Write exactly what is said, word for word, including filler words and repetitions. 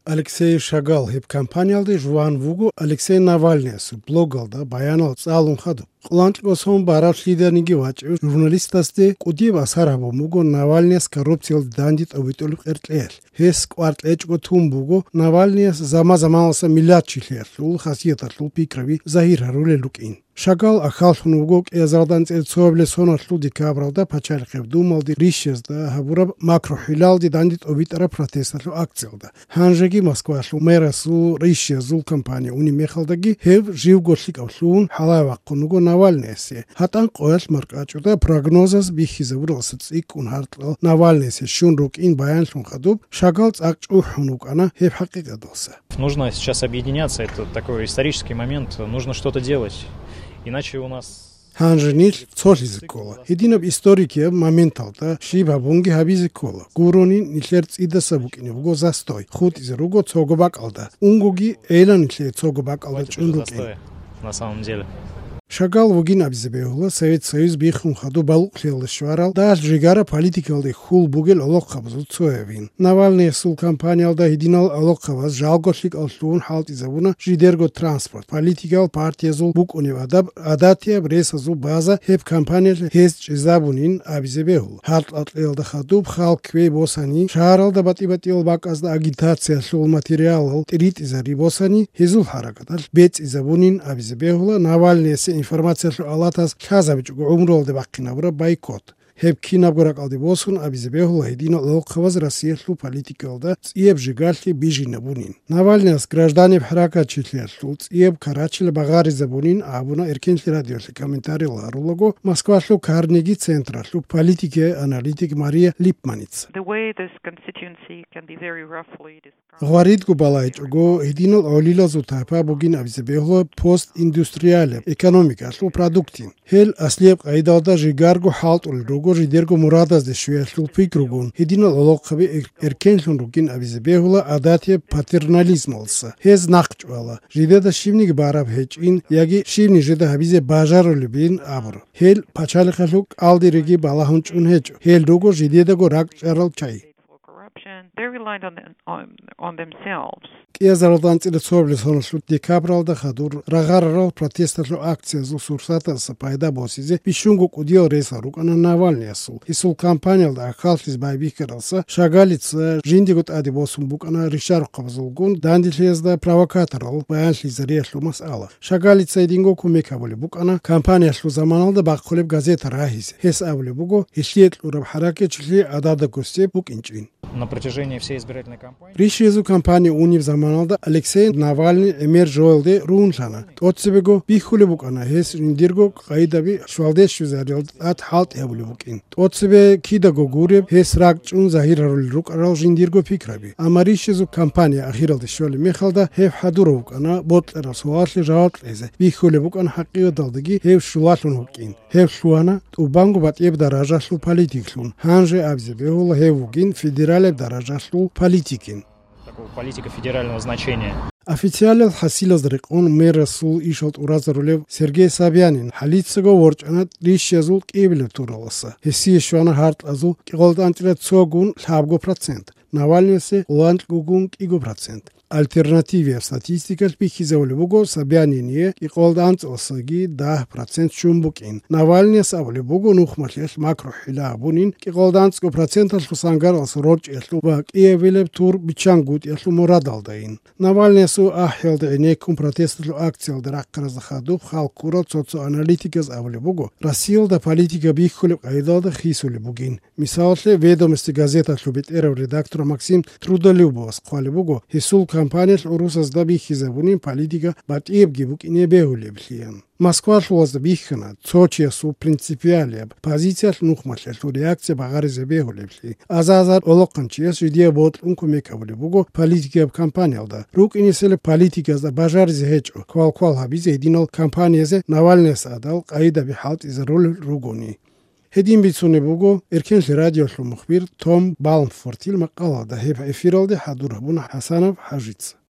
Алексей Шагал гьеб кампаниялде жуван вуго Алексей Навальныясул блогалда баянал цӀалун хадуб. Къоло анкьго сон бараб лъиданиги вачӀев журналистасде кӀудияб асар гьабун буго Навальныяс коррупциялде данде тӀобитӀулеб къеркьеялъ. Гьес кӀвар кьечӀого тун буго Навальныяс заман-заманалъа миллатчилъиялъул хасияталъул пикраби загьир гьарулел рукӀин. Шагал ахьаллъун вуго кӀиазарда анцӀила цоабилеб соналъул декабралда Пачалихъеб Думалде рищазда гьабураб макрохӀилалде данде тӀобитӀараб протесталъул акциялда. Гьанжеги Москвалъул мэрасул рищазул кампания унеб мехалдаги гьев живго лъикӀав лъугьун хӀалае вахъун вуго Навальныясе. ГьатӀан къоялъ маркӀачӀуда прогнозаз бихьизабуралдаса цӀикӀкӀун гьаркьал Навальныясе щун рукӀин баянлъун хадуб, Шагал цӀакъ чӀухӀун вукӀана гьеб хӀакъикъаталдаса. Нужно сейчас объединяться, это такой исторический момент, нужно что-то делать, иначе у нас... Гьанже нилъ цолъизе ккола. Гьединаб историкияб моменталда щиб гьабунги гьабизе ккола. Гурони нилъер цӀидаса букӀине буго застой, хутӀизе руго цого бакӀалда. Унгоги гӀела нилъее цого бакӀалда чӀун рукӀин. На самом деле. Шагал вугин абизе бегьула Совет Союз биххун хадуб балукълъиялда щварал дагь жигара политикалде хьул бугел гӀолохъабазул цоявин. Навальныясул кампаниялда гьединал гӀолохъабаз жалго лъикӀал лъугьун хӀалтӀизабуна жидерго транспорт, политикал партиязул букӀунеб адаб, гӀадатияб ресазул база гьеб кампаниялъ гьез чӀезабунин абизе бегьула. Гьаркьал кьеялда хадуб хал кквей босани, шагьаралда батӀи-батӀиял бакӀазда агитациялъул материалал тӀиритӀизари босани, гьезул хӀаракаталъ бецӀизабунин абизе бегьула Навальныясе информациялъул алатаз лъазабичӀого гӀумруялде бахъинабураб бойкот. Гьеб кинабго ракӀалде босун абизе бегьула гьединал гӀолохъабаз Россиялъул политикалда цӀияб жигалъи бижинабунин. Навальныяс гражданиб хӀаракатчилъиялъул цӀияб карачила багъаризабунин абуна Эркенлъи радиолъе комментариял гьарулаго Москвалъул Карнеги централъул политикияй аналитик Мария Липманица. The way this constituency can be very roughly described. Гъваридго балайчӀого, гьединал гӀолилазул тайпа бугин абизе бегьула постиндустриалияб экономикалъул продуктин. Гьел аслияб къайдалда жигарго хӀалтӀулел руго жидерго мурадазде щвеялъул пикругун, гьединал гӀолохъаби эр-, эркенлъун ругин абизе бегьула гӀадатияб патернализмалса. Гьез нахъчӀвала, жидеда щибниги бараб гьечӀин яги щибни жеда гьабизе бажарулебин абур. Гьел пачалихъалъул кӀалдириги балагьун чӀун гьечӀо, гьел руго жидедаго ракӀчӀарал чагӀи. Corruption. They're reliant on, on, on themselves. КӀиазаралда анцӀила цоабилеб соналъул декабралда хадур рагъарарал протесталъул акциязул сурсаталъа пайда босизе бищунго кӀудиял ресал рукӀана Навальныясул. Гьесул кампаниялда ахьаллъизе байбихьаралса Шагалица жиндиего тӀаде босун букӀана ришарухъабазулгун данделъиязда провокаторал баянлъизариялъул масъала. Шагалица гьединго кумек гьабулеб букӀана кампаниялъул заманалда бахъулеб газета рагьизе. Гьес абулеб буго, гьелъие кьураб хӀаракатчилъи гӀададаго гьесие букӀинчӀин. На протяжении всей избирательной кампании. Рищиязул кампания унеб заманалда Алексей Навальный гӀемер жоялде ругьунлъана. ТӀоцебего бихьулеб букӀана гьес жиндирго къайдаби щвалде щвезариялда тӀад хӀалтӀи гьабулеб букӀин. ТӀоцебе кидаго гуреб гьес ракӀчӀун загьир гьарулел рукӀарал жиндирго пикраби. Амма рищиязул кампания ахиралде щолеб мехалда гьеб хӀадурав вукӀана бокьараб суалалъе жаваб кьезе, бихьулеб букӀана хӀакъикъаталдаги гьев щулалъун вукӀин. Гьев лъугьана тӀубанго батӀияб даражалъул политиклъун, гьанже абизе бегьула гьев вугин федералияб даражалъул политикин. Такого политика федерального значения. Официалияб хӀасилазда рекъон мэрасул ишал тӀуразарулев Сергей Собянин хӀалицаго ворчӀана рищиязул кӀиабилеб тураласа. Гьесие щвана гьаркьазул кӀикъоялда анцӀила цогун лъабго процент, Навальныясе къоло анкьгогун кӀиго процент. Альтернативияб статистикалъ бихьизабулеб буго Собянине кӀикъоялда анцӀаласаги дагь процент щун букӀин. Навальныяс абулеб буго нухмалъиялъ макрохӀила гьабунин кӀикъоялда анцӀго проценталъул сангаралъ рорчӀиялъул ва кӀиабилеб тур биччангутӀиялъул мурадалдайин. Навальныясул ахӀиялда гӀенеккун протесталъул акциялда рахъаразда хадуб хал ккурал цо-цо аналитиказ абулеб буго, Россиялда политика бихьулеб къайдалда хисулеб бугин. Мисалалъе, «Ведомости» газеталъул бетӀерав редактор Максим Трудолюбовас хъвалеб буго, гьесул кампаниялъ гӀурусазда бихьизабунин политика батӀиябги букӀине бегьулеблъиян. Москвалъулазда бихьана цо чиясул принципиалияб позициялъ нухмалъиялъул реакция багъаризе бегьулеблъи. Аза-азар олохъанчияс жидее бокьун кумек гьабулеб буго политикияб кампаниялда. РукӀинесела политиказда бажаризе гьечӀо, квал-квал гьабизе гьединал кампаниязе Навальныяс гӀадал къайдаби хӀалтӀизарулел ругони. Гьедин бицунеб буго Эркенлъи радиолъул мухбир Том Балмфортил макъалада, гьеб эфиралде хӀадур гьабуна ХӀасанов ХӀажица.